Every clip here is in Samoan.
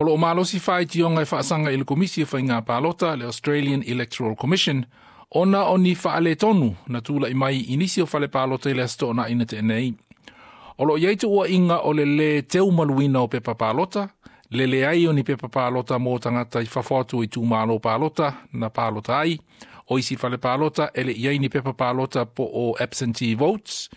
O loo malosi faitioga e faasaga i le Komisi o Faiga Palota, le Australian Electoral Commission, ona o ni faaletonu na tula'i mai i nisi o fale palota i le Aso Toonai na tea nei. O loo i ai tuuaiga o le lē teumaluina o pepa palota, le leai o ni pepa palota mo tagata i fafo atu o itumalo palota na palota ai, o isi fale palota e le i ai ni pepa palota po o absentee votes,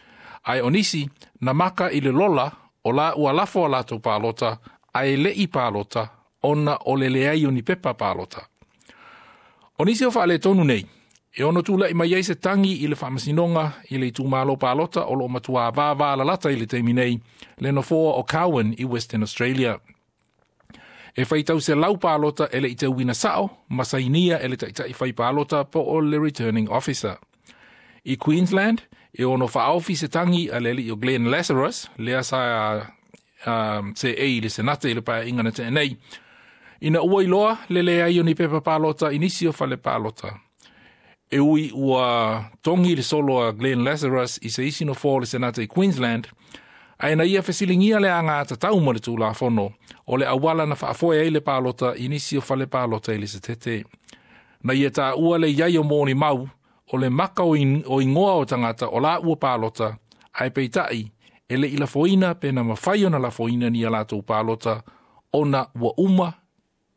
ae o nisi na maka i le lola o la ua lafo a latou palota ae le'i palota ona o le leai o ni pepa palota. O nisi o faaletonu nei, e ono tula'i mai ai se tagi i le faamasinoga i le itumalo palota o loo matuā vāvālalata i le taimi nei, le nofoa o Cowan i Western Australia. E faitau 100 palota e le'i teuina sao ma sainia e le ta'ita'i fai palota po o le returning officer. I Queensland, e ono faaofi se tagi a le alii o Glenn Lazarus, lea sa seei i le Senate i le paeaiga na tea nei, ina ua iloa le leai o ni pepa palota i nisi o fale palota. E ui ua togi le solo a Glenn Lazarus i se isi nofoa o le Senate i Queensland, ae na ia fesiligia le agatatau ma le tulafono o le auala na faafoe ai le palota i nisi o fale palota i le Setete. Na ia taua le iai o molimau o le maka o igoa o tagata o la ua palota, ae peita'i e le'i lafoina pe na mafai ona lafoina ni a latou palota ona ua uma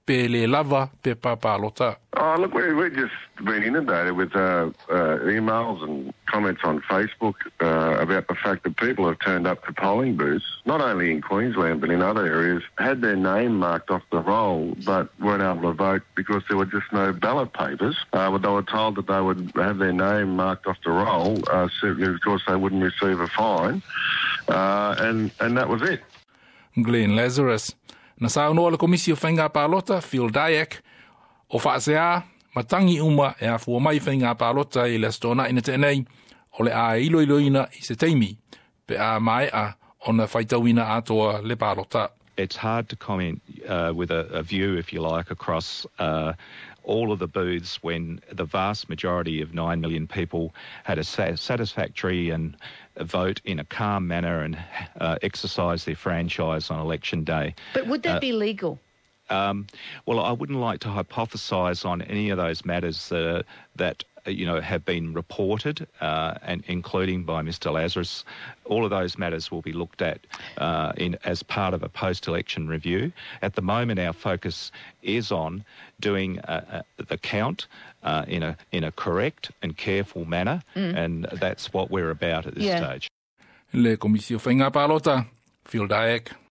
pe lē lava pepa palota. Oh, look, we've just been inundated with emails and comments on Facebook about the fact that people have turned up to polling booths, not only in Queensland but in other areas, had their name marked off the roll but weren't able to vote because there were just no ballot papers. But they were told that they would have their name marked off the roll, so of course they wouldn't receive a fine, and that was it. Glenn Lazarus. Na saunoa le Komisi o Faiga Palota, Phil Dyack, o faaseā ma tagi uma e afua mai faiga palota i le Aso Toonai na tea nei, o le a iloiloina i se taimi pe a mae'a ona faitauina atoa le palota. It's hard to comment with a view, if you like, across all of the booths when the vast majority of 9 million people had a satisfactory and vote in a calm manner and exercise their franchise on election day. But would that be legal? Well, I wouldn't like to hypothesise on any of those matters that have been reported, and including by Mr. Lazarus. All of those matters will be looked at in as part of a post-election review. At the moment, our focus is on doing the count in a correct and careful manner, and that's what we're about at this stage. Le Komisi o Faiga Palota, Phil Dyack.